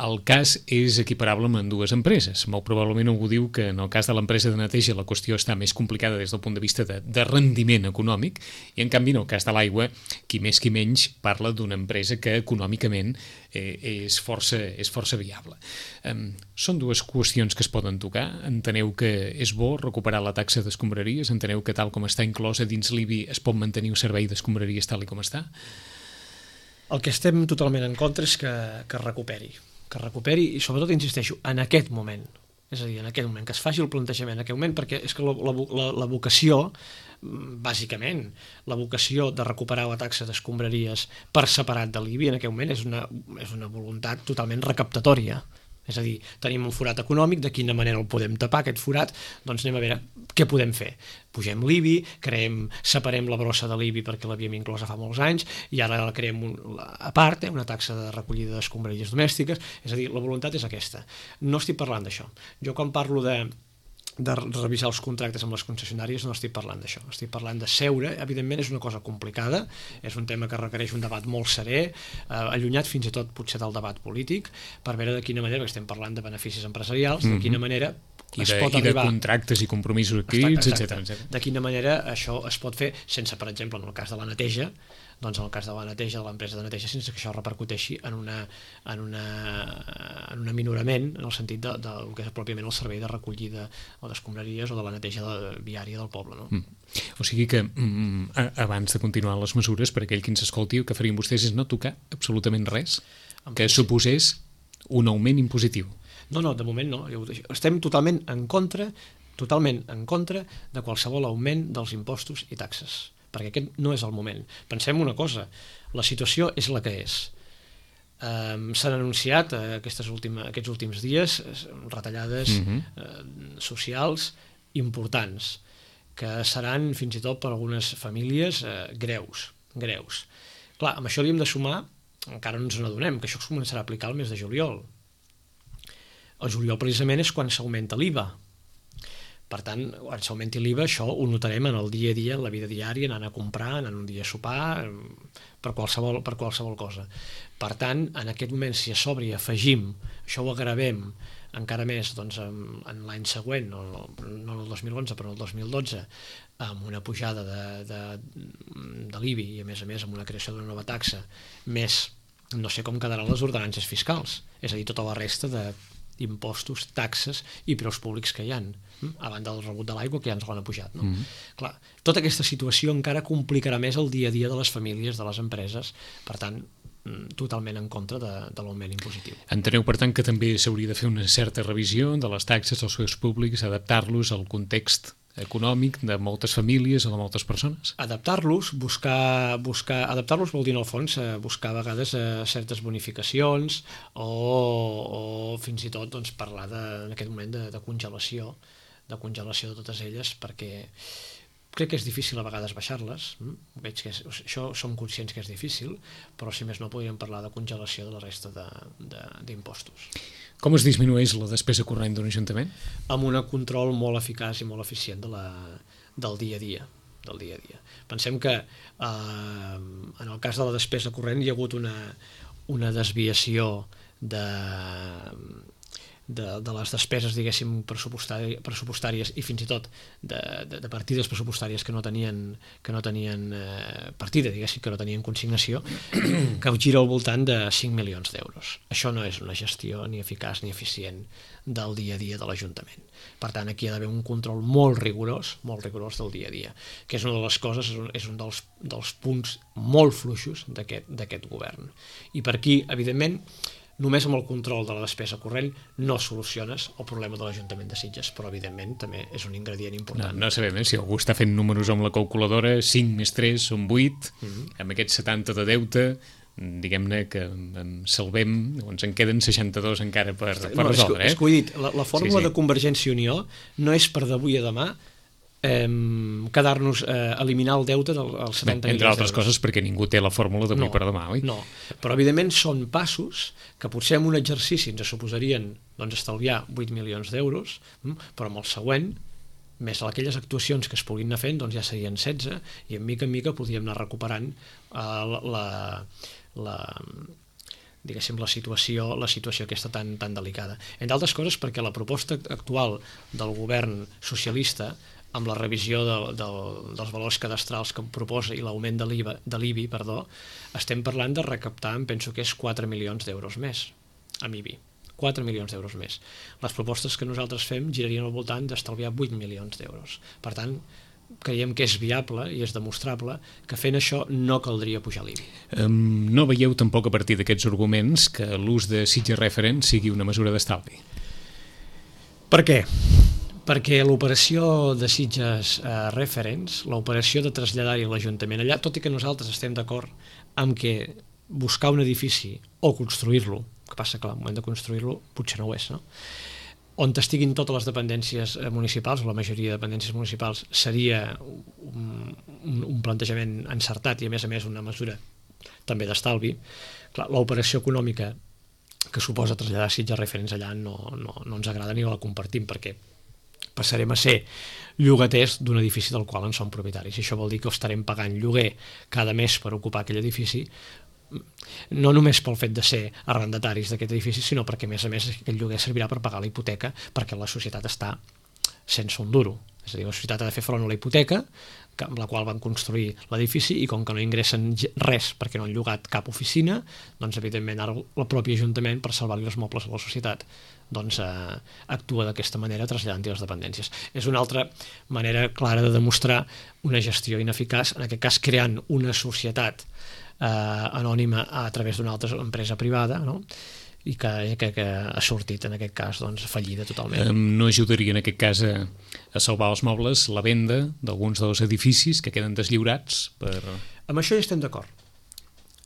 el cas és equiparable amb dues empreses. Molt probablement algú diu que en el cas de l'empresa de neteja la qüestió està més complicada des del punt de vista de, de rendiment econòmic, i en canvi en el cas de l'aigua, qui més qui menys parla d'una empresa que econòmicament eh, és, força, és força viable. Eh, són dues qüestions que es poden tocar. Enteneu que és bo recuperar la taxa d'escombraries? Enteneu que tal com està inclosa dins l'I B I es pot mantenir un servei d'escombraries tal com està?
El que estem totalment en contra és que, que es recuperi. que recuperi i sobretot, insisteixo, en aquest moment, és a dir, en aquest moment, que es faci el plantejament en aquest moment, perquè és que la, la, la vocació, bàsicament, la vocació de recuperar la taxa d'escombraries per separat de l'I B I en aquest moment és una, és una voluntat totalment recaptatòria. És a dir, tenim un forat econòmic, de quina manera el podem tapar, aquest forat? Doncs anem a veure què podem fer. Pugem l'I B I, creem, separem la brossa de l'I B I perquè l'havíem inclosa fa molts anys i ara la creem un, a part, eh, una taxa de recollida d'escombraries domèstiques. És a dir, la voluntat és aquesta. No estic parlant d'això. Jo quan parlo de de revisar els contractes amb les concessionàries no estic parlant d'això, estic parlant de seure. Evidentment és una cosa complicada, és un tema que requereix un debat molt serè, eh, allunyat fins i tot potser del debat polític, per veure de quina manera, perquè estem parlant de beneficis empresarials, de quina manera
I
es
de,
pot
i de
arribar...
contractes i compromisos adquirits, etcètera.
De quina manera això es pot fer sense, per exemple, en el cas de la neteja, doncs en el cas de la neteja, de l'empresa de neteja, sense que això repercuteixi en, una, en, una, en un aminorament en el sentit de, de, del que és pròpiament el servei de recollida o d'escombraries o de la neteja de, viària del poble. No?
Mm. O sigui que mm, abans de continuar les mesures, per aquell que ens escolti, el que farien vostès és no tocar absolutament res que suposés un augment impositiu.
No, no, de moment no. Estem totalment en contra, totalment en contra de qualsevol augment dels impostos i taxes, perquè aquest no és el moment. Pensem una cosa, la situació és la que és. Um, s'han anunciat uh, aquestes última, aquests últims dies retallades uh-huh. uh, socials importants, que seran fins i tot per algunes famílies uh, greus, greus. Clar, amb això li hem de sumar, encara no ens n'adonem, que això es començarà a aplicar el mes de juliol. El juliol precisament és quan s'augmenta l'I V A. Per tant, quan s'augmenti l'I V A, això ho notarem en el dia a dia, en la vida diària, anant a comprar, anant un dia a sopar, per qualsevol, per qualsevol cosa. Per tant, en aquest moment, si a sobre hi afegim, això ho agravem encara més doncs, en, en l'any següent, no, no el dos mil onze, però el dos mil dotze, amb una pujada de, de, de l'I B I i, a més a més, amb una creació d'una nova taxa, més no sé com quedaran les ordenances fiscals, és a dir, tota la resta de impostos, taxes i preus públics que hi ha, a banda del rebut de l'aigua que ja ens l'han apujat. No? Mm-hmm. Clar, tota aquesta situació encara complicarà més el dia a dia de les famílies, de les empreses, per tant, totalment en contra de, de l'augment impositiu.
Enteneu, per tant, que també s'hauria de fer una certa revisió de les taxes, dels seus públics, adaptar-los al context econòmic de moltes famílies o de moltes persones.
Adaptar-los, buscar, buscar adaptar-los vol dir, en el fons, buscar a vegades certes bonificacions o, o fins i tot doncs, parlar de, en aquest moment de, de congelació, de congelació de totes elles, perquè crec que és difícil a vegades baixar-les. Veig que és, això som conscients que és difícil, però si més no podríem parlar de congelació de la resta d'impostos.
Com es disminueix la despesa corrent d'un ajuntament?
Amb un control molt eficaç i molt eficient de la, del dia a dia. Del dia a dia. Pensem que eh, en el cas de la despesa corrent hi ha hagut una, una desviació de... De, de les despeses, diguéssim, pressupostàries, pressupostàries i fins i tot de, de, de partides pressupostàries que no tenien, que no tenien eh, partida, diguéssim, que no tenien consignació, que gira al voltant de cinc milions d'euros. Això no és una gestió ni eficaç ni eficient del dia a dia de l'Ajuntament. Per tant, aquí hi ha d'haver un control molt rigorós, molt rigorós del dia a dia, que és una de les coses, és un, és un dels, dels punts molt fluixos d'aquest govern. I per aquí, evidentment, només amb el control de la despesa corrent no soluciones el problema de l'Ajuntament de Sitges, però evidentment també és un ingredient important.
No, no sabem, eh? Si algú està fent números amb la calculadora, cinc més tres són vuit, mm-hmm. amb aquests setanta de deute, diguem-ne que en salvem, ens en queden seixanta-dos encara per, per no, resoldre.
És que, eh? és que ho he dit, la, la fórmula sí, sí. de Convergència i Unió no és per d'avui a demà Eh, quedar-nos, eh, eliminar el deute dels setanta milions d'euros.
Entre altres coses perquè ningú té la fórmula d'avui
no,
per demà, oi?
No, però evidentment són passos que potser en un exercici ens suposarien doncs, estalviar vuit milions d'euros, però amb el següent, més aquelles actuacions que es puguin anar fent, doncs ja serien setze, i en mica en mica podríem anar recuperant eh, la, la, la diguéssim, la situació, la situació aquesta tan, tan delicada. Entre altres coses perquè la proposta actual del govern socialista amb la revisió de, de, dels valors cadastrals que proposa i l'augment de l'I V A, de l'I B I, perdó, estem parlant de recaptar, em penso que és quatre milions d'euros més, amb I B I. quatre milions d'euros més. Les propostes que nosaltres fem girarien al voltant d'estalviar vuit milions d'euros. Per tant, creiem que és viable i és demostrable que fent això no caldria pujar l'I B I.
Um, no veieu tampoc a partir d'aquests arguments que l'ús de Sitges Reference sigui una mesura d'estalvi?
Per què? Perquè l'operació de Sitges eh, Reference, l'operació de traslladar-hi l'Ajuntament allà, tot i que nosaltres estem d'acord amb que buscar un edifici o construir-lo, que passa que al moment de construir-lo potser no ho és, no? On estiguin totes les dependències municipals, o la majoria de dependències municipals, seria un, un, un plantejament encertat i a més a més una mesura també d'estalvi. Clar, l'operació econòmica que suposa traslladar Sitges Reference allà no, no, no ens agrada ni la compartim, perquè passarem a ser llogaters d'un edifici del qual en som propietaris. I això vol dir que estarem pagant lloguer cada mes per ocupar aquell edifici, no només pel fet de ser arrendataris d'aquest edifici, sinó perquè, a més a més, aquell lloguer servirà per pagar la hipoteca, perquè la societat està sense un duro. És a dir, la societat ha de fer front a la hipoteca, amb la qual van construir l'edifici, i com que no ingressen res perquè no han llogat cap oficina, doncs evidentment ara el propi Ajuntament, per salvar-li els mobles a la societat, doncs eh, actua d'aquesta manera traslladant-hi les dependències. És una altra manera clara de demostrar una gestió ineficaç, en aquest cas creant una societat eh, anònima a través d'una altra empresa privada, no? I que, que, que ha sortit en aquest cas doncs, fallida totalment.
No ajudaria en aquest cas a, a salvar els mobles la venda d'alguns dels edificis que queden deslliurats? Per...
Amb això hi estem d'acord.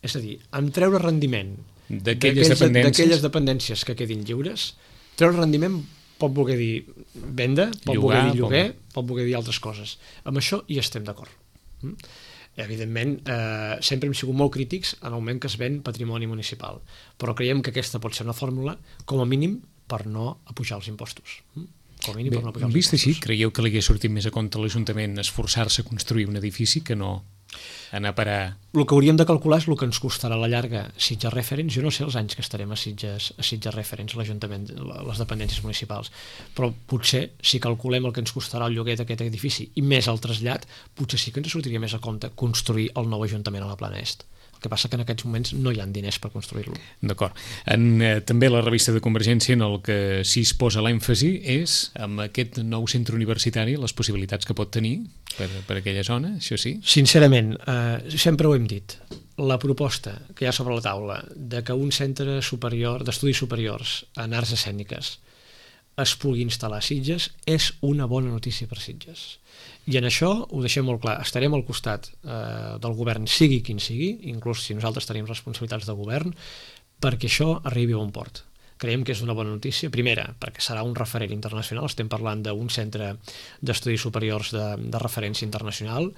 És a dir, amb treure rendiment
d'aquelles dependències.
dependències que quedin lliures, treure rendiment pot voler dir venda, pot
llogar,
voler dir lloguer, pot voler dir altres coses. Amb això hi estem d'acord. Mm? Evidentment, eh, sempre hem sigut molt crítics en el moment que es ven patrimoni municipal, però creiem que aquesta pot ser una fórmula, com a mínim, per no apujar els impostos. Com a mínim,
Bé,
per no apujar els
vist
impostos.
així, creieu que li hauria sortit més a compte a l'Ajuntament esforçar-se a construir un edifici que no anar a parar...
El que hauríem de calcular és el que ens costarà a la llarga Sitges Reference. Jo no sé els anys que estarem a Sitges, a Sitges Reference, l'Ajuntament, les dependències municipals, però potser, si calculem el que ens costarà el lloguer d'aquest edifici i més el trasllat, potser sí que ens sortiria més a compte construir el nou Ajuntament a la Plana Est. El que passa que en aquests moments no hi ha diners per construir-lo.
D'acord. En, eh, també la revista de Convergència en el que sí es posa l'èmfasi és amb aquest nou centre universitari, les possibilitats que pot tenir per, per aquella zona, això sí?
Sincerament, eh, sempre ho hem dit, la proposta que hi ha sobre la taula de que un centre superior d'estudis superiors en arts escèniques es pugui instal·lar a Sitges és una bona notícia per Sitges. I en això ho deixem molt clar, estarem al costat eh, del govern, sigui quin sigui, inclús si nosaltres tenim responsabilitats de govern, perquè això arribi a bon port. Creiem que és una bona notícia, primera, perquè serà un referent internacional, estem parlant d'un centre d'estudis superiors de, de referència internacional,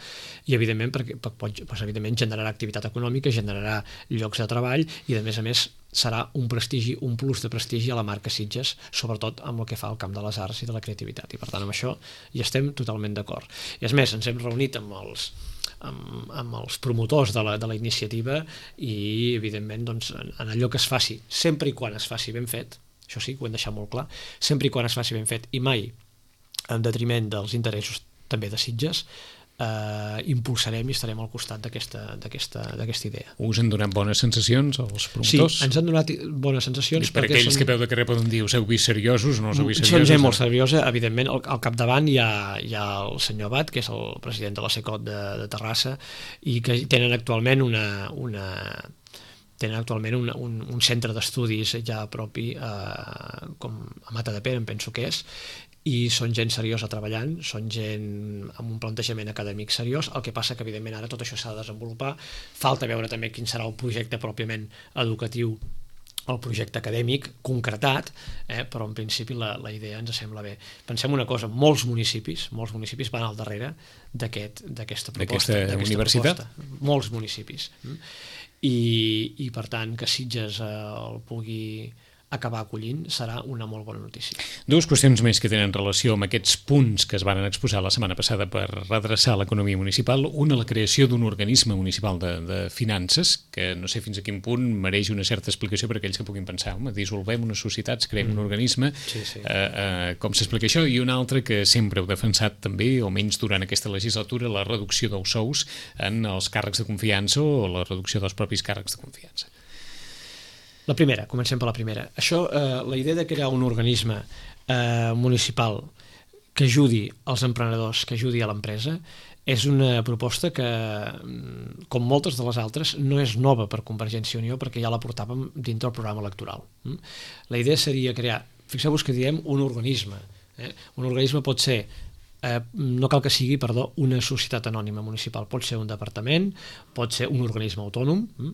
i evidentment, perquè, pot, doncs, evidentment generarà activitat econòmica, generarà llocs de treball, i a més a més serà un prestigi, un plus de prestigi a la marca Sitges, sobretot amb el que fa al camp de les arts i de la creativitat, i per tant amb això hi estem totalment d'acord. I és més, ens hem reunit amb els Amb, amb els promotors de la, de la iniciativa i evidentment doncs, en, en allò que es faci, sempre i quan es faci ben fet, això sí que ho hem deixat molt clar, sempre i quan es faci ben fet i mai en detriment dels interessos també de Sitges, eh, impulsarem i estarem al costat d'aquesta d'aquesta d'aquesta idea.
Us han donat bones sensacions els promotors?
Sí, ens han donat bones sensacions.
I per aquells són... que peu de carrer poden dir, us heu vist seriosos, no us heu vist seriosos?
Són gent molt seriosa, evidentment, al, al capdavant hi ha, hi ha el senyor Abad, que és el president de la SECOT de, de Terrassa, i que tenen actualment una... una tenen actualment un, un, un centre d'estudis ja propi eh, com a Matadepera, em penso que és, i són gent seriosa treballant, són gent amb un plantejament acadèmic seriós, el que passa que evidentment ara tot això s'ha de desenvolupar, falta veure també quin serà el projecte pròpiament educatiu, el projecte acadèmic concretat, eh, però en principi la, la idea ens sembla bé. Pensem una cosa, molts municipis, molts municipis van al darrere d'aquest, d'aquesta proposta.
D'aquesta universitat?
Proposta. Molts municipis. I, i per tant que Sitges eh, el pugui acabar acollint serà una molt bona notícia.
Dues qüestions més que tenen relació amb aquests punts que es van exposar la setmana passada per redreçar l'economia municipal. Una, la creació d'un organisme municipal de, de finances, que no sé fins a quin punt mereix una certa explicació per a aquells que puguin pensar, home, dissolvem unes societats, creem mm. un organisme,
sí, sí.
Eh, eh, com s'explica això? I una altra que sempre heu defensat també, o menys durant aquesta legislatura, la reducció dels sous en els càrrecs de confiança o la reducció dels propis càrrecs de confiança.
La primera, comencem per la primera. Això, eh, la idea de crear un organisme eh, municipal que ajudi als emprenedors, que ajudi a l'empresa, és una proposta que, com moltes de les altres, no és nova per Convergència i Unió perquè ja la portàvem dintre del programa electoral. La idea seria crear, fixeu-vos que diem un organisme. Eh? Un organisme pot ser Eh, no cal que sigui, perdó, una societat anònima municipal, pot ser un departament, pot ser un organisme autònom, hm?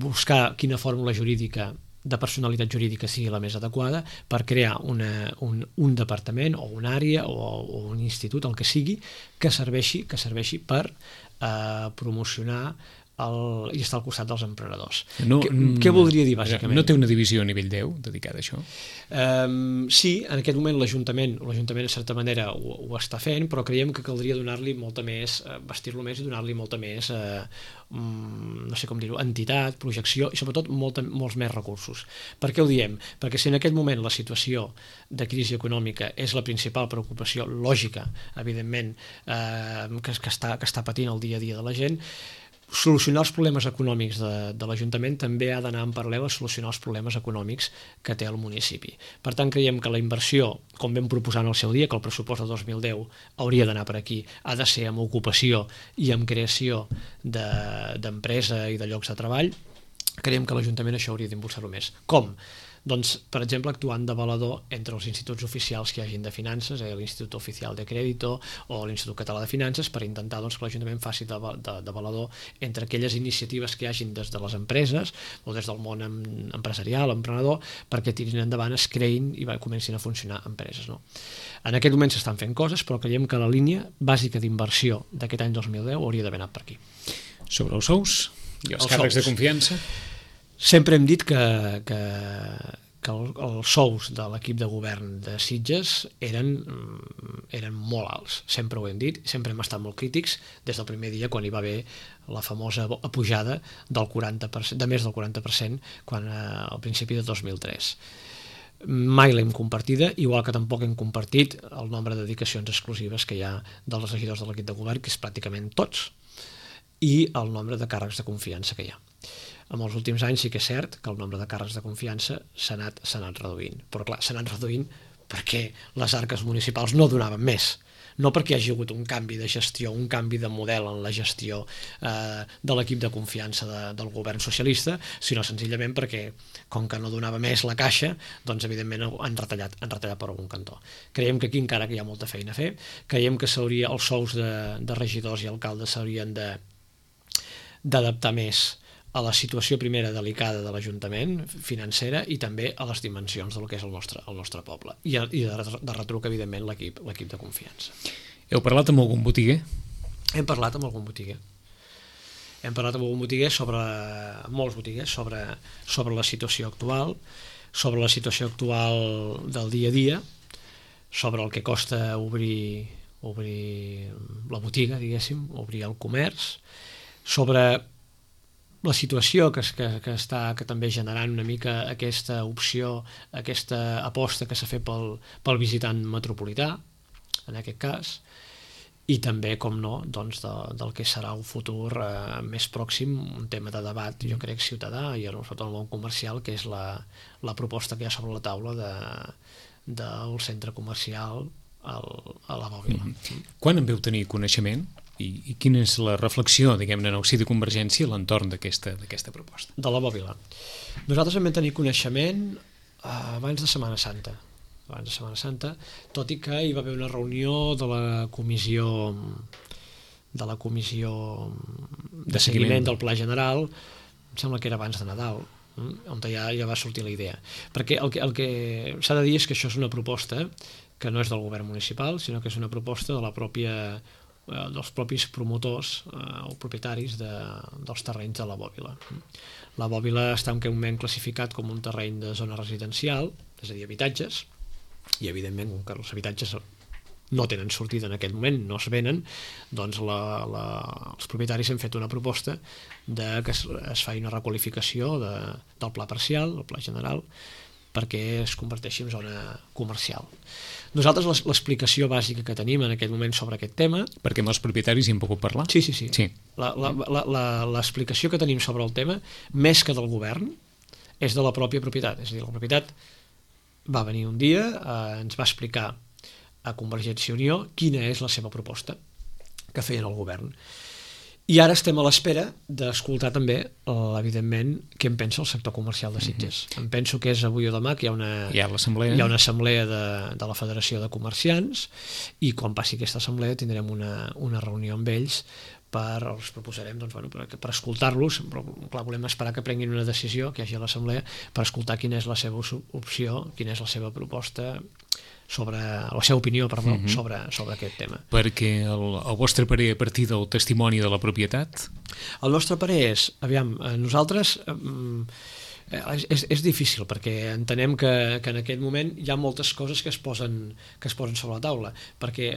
buscar quina fórmula jurídica de personalitat jurídica sigui la més adequada per crear una, un, un departament o una àrea o, o un institut, el que sigui, que serveixi, que serveixi per eh, promocionar el, i estar al costat dels emprenedors.
No,
què, què voldria dir, bàsicament?
No té una divisió a nivell deu dedicada a això?
Um, sí, en aquest moment l'Ajuntament, l'Ajuntament de certa manera ho, ho està fent, però creiem que caldria donar-li molta més, uh, vestir-lo més i donar-li molta més, uh, um, no sé com dir-ho, entitat, projecció i sobretot molta, molts més recursos. Per què ho diem? Perquè si en aquest moment la situació de crisi econòmica és la principal preocupació lògica, evidentment, uh, que, que, està, que està patint el dia a dia de la gent, solucionar els problemes econòmics de, de l'Ajuntament també ha d'anar en paral·lel a solucionar els problemes econòmics que té el municipi. Per tant, creiem que la inversió, com vam proposar en el seu dia, que el pressupost de dos mil deu hauria d'anar per aquí, ha de ser amb ocupació i amb creació d'empresa de, i de llocs de treball. Creiem que l'Ajuntament això hauria d'impulsar-ho més. Com? Doncs, per exemple, actuant de valedor entre els instituts oficials que hi hagin de finances, eh, l'Institut Oficial de Crèdito o l'Institut Català de Finances, per intentar doncs, que l'Ajuntament faci de, de, de valedor entre aquelles iniciatives que hi hagin des de les empreses o des del món empresarial, emprenedor, perquè tirin endavant, es creïn i va, comencin a funcionar empreses. No? En aquest moment s'estan fent coses, però creiem que la línia bàsica d'inversió d'aquest any dos mil deu hauria d'haver anat per aquí.
Sobre els sous i els, els càrrecs sous de confiança?
Sempre hem dit que, que, que el, els sous de l'equip de govern de Sitges eren, eren molt alts, sempre ho hem dit, sempre hem estat molt crítics des del primer dia quan hi va haver la famosa pujada del quaranta per cent, de més del quaranta per cent quan, eh, al principi de dos mil tres. Mai l'hem compartida, igual que tampoc hem compartit el nombre de dedicacions exclusives que hi ha dels regidors de l'equip de govern, que és pràcticament tots, i el nombre de càrrecs de confiança que hi ha. En els últims anys sí que és cert que el nombre de càrrecs de confiança s'ha anat, s'ha anat reduint, però clar, s'ha anat reduint perquè les arques municipals no donaven més. No perquè hi hagi hagut un canvi de gestió, un canvi de model en la gestió eh, de l'equip de confiança de, del govern socialista, sinó senzillament perquè, com que no donava més la caixa, doncs evidentment han retallat, han retallat per algun cantó. Creiem que aquí encara que hi ha molta feina a fer, creiem que s'hauria, els sous de, de regidors i alcaldes s'haurien de d'adaptar més a la situació primera delicada de l'Ajuntament, financera, i també a les dimensions del que és el nostre, el nostre poble. I, i de, de retruc, evidentment, l'equip l'equip de confiança.
Heu parlat amb algun botiguer?
Hem parlat amb algun botiguer. Hem parlat amb algun botiguer sobre, molts botiguers, sobre, sobre la situació actual, sobre la situació actual del dia a dia, sobre el que costa obrir, obrir la botiga, diguéssim, obrir el comerç, sobre la situació que, que, que està que també generant una mica aquesta opció, aquesta aposta que s'ha fet pel, pel visitant metropolità, en aquest cas, i també, com no, doncs de, del que serà un futur eh, més pròxim, un tema de debat, jo crec, ciutadà i sobretot el món comercial, que és la, la proposta que hi ha sobre la taula de, del centre comercial al, a la Bòbila.
Mm-hmm. Quan en veu tenir coneixement? I, i quina és la reflexió, diguem-ne, en el si de Convergència a l'entorn d'aquesta d'aquesta proposta?
De la Bòbila. Nosaltres vam tenir coneixement eh, abans de Setmana Santa, abans de Setmana Santa, tot i que hi va haver una reunió de la comissió de la comissió de, de seguiment, seguiment del Pla General, em sembla que era abans de Nadal, on ja, ja va sortir la idea. Perquè el que, el que s'ha de dir és que això és una proposta que no és del govern municipal, sinó que és una proposta de la pròpia dels propis promotors eh, o propietaris de, dels terrenys de la Bòbila. La Bòbila està en aquest moment classificat com un terreny de zona residencial, és a dir, habitatges, i evidentment, com que els habitatges no tenen sortida en aquest moment, no es venen, doncs la, la, els propietaris han fet una proposta de que es, es faci una requalificació de, del pla parcial, el pla general, perquè es converteixi en zona comercial. Nosaltres l'explicació bàsica que tenim en aquest moment sobre aquest tema...
Perquè amb els propietaris hi hem pogut parlar?
Sí, sí, sí.
sí.
L'explicació que tenim sobre el tema, més que del govern, és de la pròpia propietat. És a dir, la propietat va venir un dia, eh, ens va explicar a Convergència i Unió quina és la seva proposta que feien el govern. I ara estem a l'espera d'escoltar també, evidentment, què en pensa el sector comercial de Sitges. Mm-hmm. Em penso que és avui o demà que hi ha una,
hi ha l'assemblea,
hi ha una assemblea de, de la Federació de Comerciants, i quan passi aquesta assemblea tindrem una, una reunió amb ells per, els proposarem doncs, bueno, per, per escoltar-los, però clar, volem esperar que prenguin una decisió, que hi hagi a l'assemblea, per escoltar quina és la seva opció, quina és la seva proposta, sobre la seva opinió, perdó, mm-hmm. sobre, sobre aquest tema.
Perquè el, el vostre parer a partir del testimoni de la propietat?
El nostre parer és, aviam, nosaltres eh, és, és difícil perquè entenem que, que en aquest moment hi ha moltes coses que es posen, que es posen sobre la taula, perquè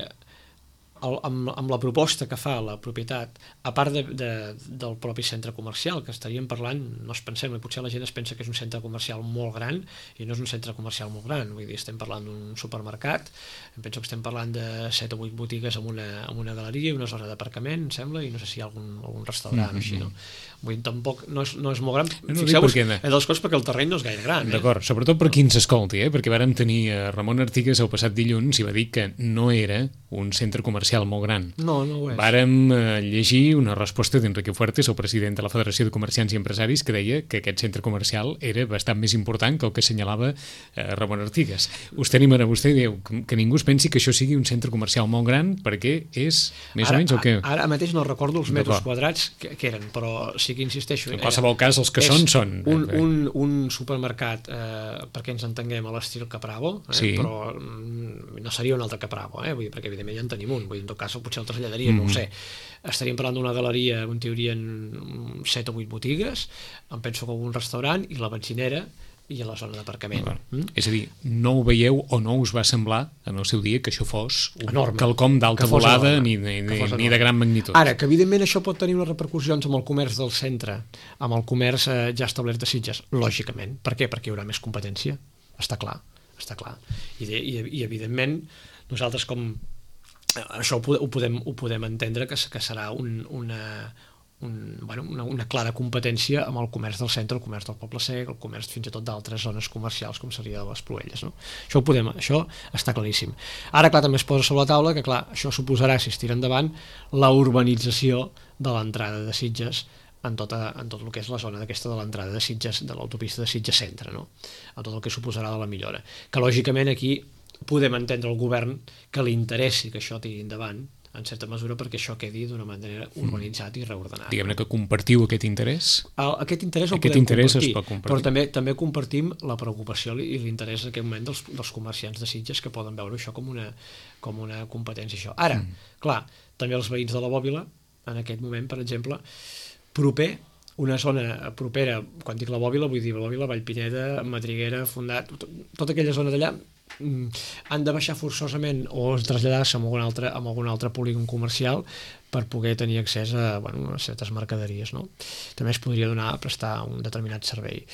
el, amb, amb la proposta que fa la propietat, a part de, de, del propi centre comercial, que estaríem parlant, no es pensem, potser la gent es pensa que és un centre comercial molt gran, i no és un centre comercial molt gran, vull dir, estem parlant d'un supermercat, em penso que estem parlant de set o vuit botigues amb una, amb una galeria i una zona d'aparcament, em sembla, i no sé si hi ha algun, algun restaurant mm-hmm. o així, no? Vull dir, tampoc, no és, no és molt gran,
no,
fixeu-vos,
perquè...
és dels coses perquè el terreny no és gaire gran. Eh?
D'acord, sobretot per qui ens escolti, eh? Perquè vàrem tenir a Ramon Artigas el passat dilluns i va dir que no era un centre comercial molt gran.
No, no ho és.
Vàrem eh, llegir una resposta d'Enrique Fuertes, el president de la Federació de Comerciants i Empresaris, que deia que aquest centre comercial era bastant més important que el que assenyalava eh, Ramon Artigas. Us tenim ara, vostè diu que, que ningú es pensi que això sigui un centre comercial molt gran, perquè és més
ara,
o menys el que...
Ara mateix no recordo els metres quadrats que, que eren, però sí que insisteixo...
En qualsevol cas, els que són, són...
Un, un, un supermercat, eh, perquè ens entenguem, a l'estil Capravo, eh, sí. però mm, no seria un altre Capravo, eh, vull dir, perquè evidentment ja en tenim un, vull dir, en tot cas potser el traslladaria, mm-hmm. no ho sé. Estaríem parlant d'una galeria on hi haurien set o vuit botigues, em penso que un restaurant i la benzinera i a la zona d'aparcament. Mm?
És a dir, no ho veieu o no us va semblar en el seu dia que això fos un
enorme,
quelcom d'alta volada ni, ni, ni de gran magnitud.
Ara, que evidentment això pot tenir unes repercussions amb el comerç del centre, amb el comerç eh, ja establert de Sitges, lògicament. Per què? Perquè hi haurà més competència. Està clar, està clar. I, de, i, i evidentment, nosaltres com... Això ho podem, ho podem entendre que, que serà un, una, un, bueno, una, una clara competència amb el comerç del centre, el comerç del Poble Sec, el comerç fins i tot d'altres zones comercials com seria de les Pruelles, no? Això ho podem, això està claríssim. Ara, clar, també es posa sobre la taula que, clar, això suposarà, si es tira endavant, la urbanització de l'entrada de Sitges en, tota, en tot el que és la zona d'aquesta de l'entrada de Sitges, de l'autopista de Sitges Centre, no? En tot el que suposarà de la millora. Que, lògicament, aquí podem entendre el govern que li interessi que això tiri endavant, en certa mesura, perquè això quedi d'una manera urbanitzat i reordenat.
Diguem-ne que compartiu aquest interès?
El, aquest interès el
aquest
podem
interès
compartir,
es pot compartir,
però també també compartim la preocupació i l'interès en aquest moment dels, dels comerciants de Sitges que poden veure això com una, com una competència. Això. Ara, mm. clar, també els veïns de la Bòbila, en aquest moment, per exemple, proper, una zona propera, quan dic la Bòbila, vull dir la Bòbila, Vallpineda, Madriguera, Fondat, tot, tota aquella zona d'allà, han de baixar forçosament o traslladar-se a algun altre, a algun altre polígon comercial per poder tenir accés a, bueno, a certes mercaderies, no? També es podria donar a prestar un determinat servei.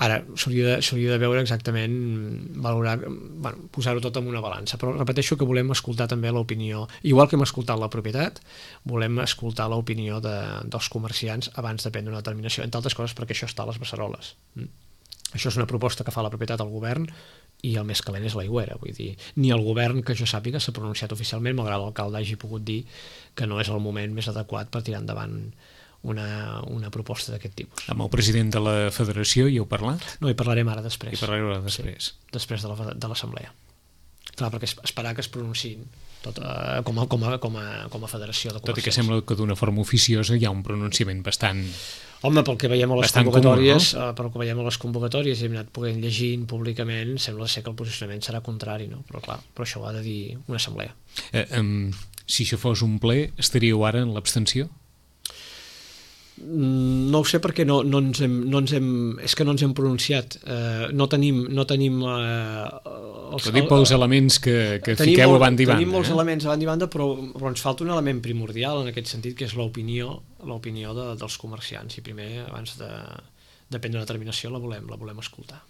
Ara, s'hauria de, s'hauria de veure exactament, valorar, bueno, posar-ho tot en una balança, però repeteixo que volem escoltar també l'opinió, igual que hem escoltat la propietat, volem escoltar l'opinió de, dels comerciants abans de prendre una determinació, entre altres coses perquè això està a les beceroles. Mm? Això és una proposta que fa la propietat al govern i el més calent és l'aigüera, vull dir, ni el govern que jo sàpiga s'ha pronunciat oficialment, malgrat l'alcalde hagi pogut dir que no és el moment més adequat per tirar endavant una, una proposta d'aquest tipus.
Amb el president de la federació hi heu parlat?
No, hi parlarem ara després.
Hi parlarem ara després.
Sí, després de, la, de l'assemblea. Clar, perquè esperar que es pronunciïn tot, uh, com, a, com, a, com, a, com a federació de comerciants.
Tot i que sembla que d'una forma oficiosa hi ha un pronunciament bastant...
Home, pel que veiem a les
bastant
convocatòries,
comú, no?
uh, pel que veiem a les convocatòries i hem anat podent llegint públicament, sembla ser que el posicionament serà contrari, no? Però clar, però això ho ha de dir una assemblea.
Eh, um, si això fos un ple, estaríeu ara en l'abstenció?
No ho sé perquè no, no, ens hem, no ens hem, és que no ens hem pronunciat, uh, no tenim, no tenim uh, els,
ho dic pels elements que, que fiqueu
molt,
a banda i banda.
Tenim molts
eh?
elements a banda i banda, però, però ens falta un element primordial en aquest sentit, que és l'opinió l'opinió de, dels comerciants, i primer, abans de, de prendre una determinació, la volem, la volem escoltar.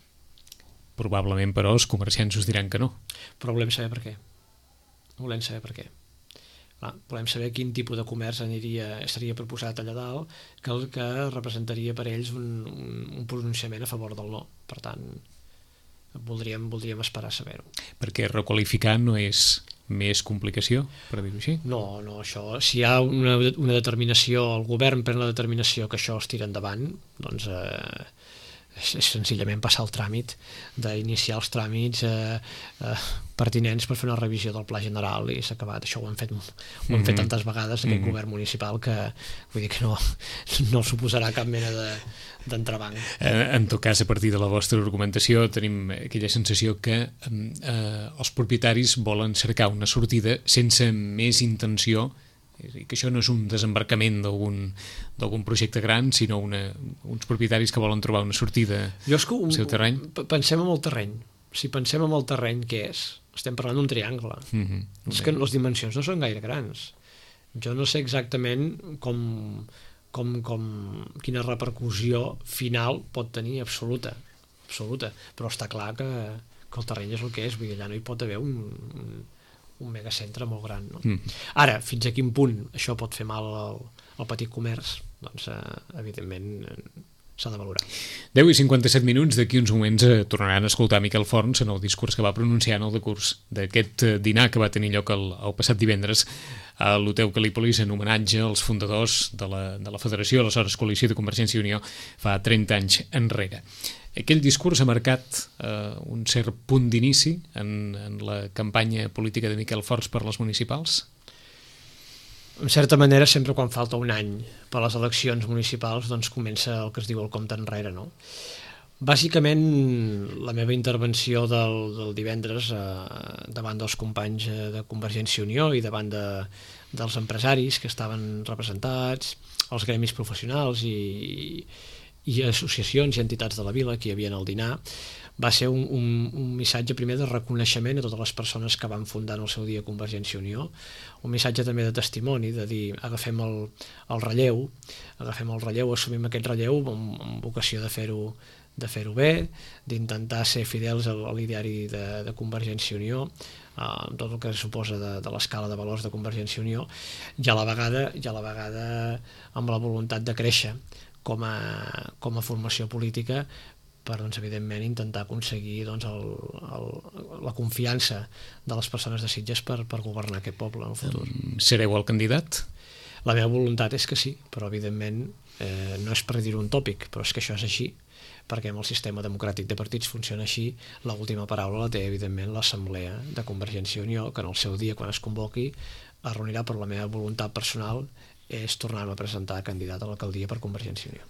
Probablement, però, els comerciants us diran que no.
Però volem saber per què. Volem saber per què. Clar, volem saber quin tipus de comerç aniria, estaria proposat allà dalt, que el que representaria per ells un, un, un pronunciament a favor del no. Per tant, voldríem, voldríem esperar a saber-ho.
Perquè requalificar no és més complicació, per dir-ho així?
No, no, això, si hi ha una, una determinació, el govern pren la determinació que això es tira endavant, doncs eh, és, és senzillament passar el tràmit d'iniciar els tràmits eh, eh, pertinents per fer una revisió del pla general i s'ha acabat. Això ho hem fet, ho hem mm-hmm. fet tantes vegades aquest mm-hmm. govern municipal que vull dir que no, no suposarà cap mena de d'entrebanc.
Eh, en tot cas, a partir de la vostra argumentació tenim aquella sensació que eh, els propietaris volen cercar una sortida sense més intenció, i que això no és un desembarcament d'algun d'algun projecte gran, sinó una, uns propietaris que volen trobar una sortida
jo és que un,
al seu terreny.
Pensem en el terreny. Si pensem en el terreny, què és? Estem parlant d'un triangle. Mm-hmm. És que les dimensions no són gaire grans. Jo no sé exactament com... Com, com, quina repercussió final pot tenir absoluta, absoluta. Però està clar que, que el terreny és el que és, vull dir, allà no hi pot haver un, un, un megacentre molt gran, no? Mm. Ara, fins a quin punt això pot fer mal al, al petit comerç, doncs eh, evidentment s'ha de valorar.
deu i cinquanta-set minuts, d'aquí uns moments eh, tornaran a escoltar Miquel Forns en el discurs que va pronunciar en el decurs d'aquest eh, dinar que va tenir lloc el, el passat divendres a l'Hotel Calípolis en homenatge als fundadors de la, de la Federació, aleshores Coalició de Convergència i Unió, fa trenta anys enrere. Aquell discurs ha marcat eh, un cert punt d'inici en, en la campanya política de Miquel Forns per les municipals?
En certa manera, sempre quan falta un any per a les eleccions municipals, doncs comença el que es diu el compte enrere, no? Bàsicament, la meva intervenció del, del divendres eh, davant dels companys de Convergència i Unió i davant de, dels empresaris que estaven representats, els gremis professionals i, i associacions i entitats de la vila que hi havia al dinar, va ser un, un, un missatge primer de reconeixement a totes les persones que van fundar en el seu dia Convergència i Unió, un missatge també de testimoni, de dir agafem el, el relleu, agafem el relleu, assumim aquest relleu amb, amb vocació de fer-ho de fer-ho bé, d'intentar ser fidels a l'ideari de, de Convergència i Unió, amb tot el que suposa de, de l'escala de valors de Convergència i Unió, i a la vegada, i a la vegada amb la voluntat de créixer com a, com a formació política per, doncs, evidentment, intentar aconseguir doncs, el, el, la confiança de les persones de Sitges per, per governar aquest poble en el futur.
Sereu el candidat?
La meva voluntat és que sí, però evidentment eh, no és per dir un tòpic, però és que això és així, perquè amb el sistema democràtic de partits funciona així. L'última paraula la té, evidentment, l'Assemblea de Convergència i Unió, que en el seu dia, quan es convoqui, es reunirà, per la meva voluntat personal és tornar-me a presentar candidat a l'alcaldia per Convergència i Unió.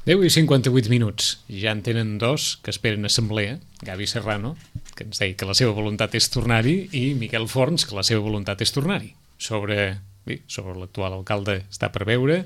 deu i cinquanta-vuit minuts. Ja en tenen dos que esperen assemblea. Gavi Serrano, que ens deia que la seva voluntat és tornar-hi, i Miquel Forns, que la seva voluntat és tornar-hi. Sobre, bé, sobre l'actual alcalde està per veure,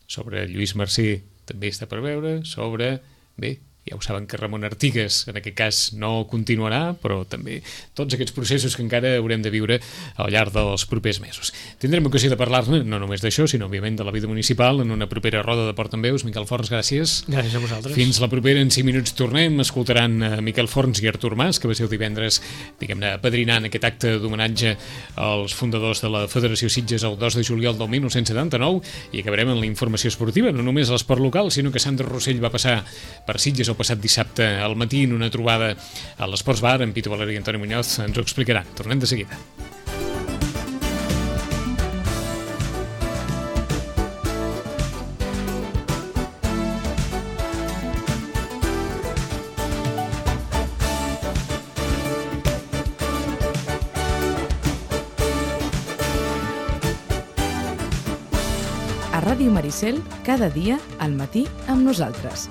sobre Lluís Marcí també està per veure, sobre... Bé, ja ho saben que Ramon Artigas en aquest cas no continuarà, però també tots aquests processos que encara haurem de viure al llarg dels propers mesos. Tindrem ocasió de parlar-ne no només d'això, sinó òbviament de la vida municipal en una propera roda de Port en Veus. Miquel Forns, gràcies.
Gràcies a vosaltres.
Fins la propera, en cinc minuts tornem, escoltaran a Miquel Forns i Artur Mas, que va ser el divendres, diguem-ne, apadrinant aquest acte d'homenatge als fundadors de la Federació Sitges el dos de juliol del dinou setanta-nou, i acabarem amb la informació esportiva, no només a l'esport local, sinó que Sandra Rossell va passar per Sitges el passat dissabte al matí en una trobada a l'Esports Bar amb Pitu Valeri i Antoni Muñoz. Ens ho explicaran. Tornem de seguida.
A Ràdio Maricel, cada dia al matí amb nosaltres.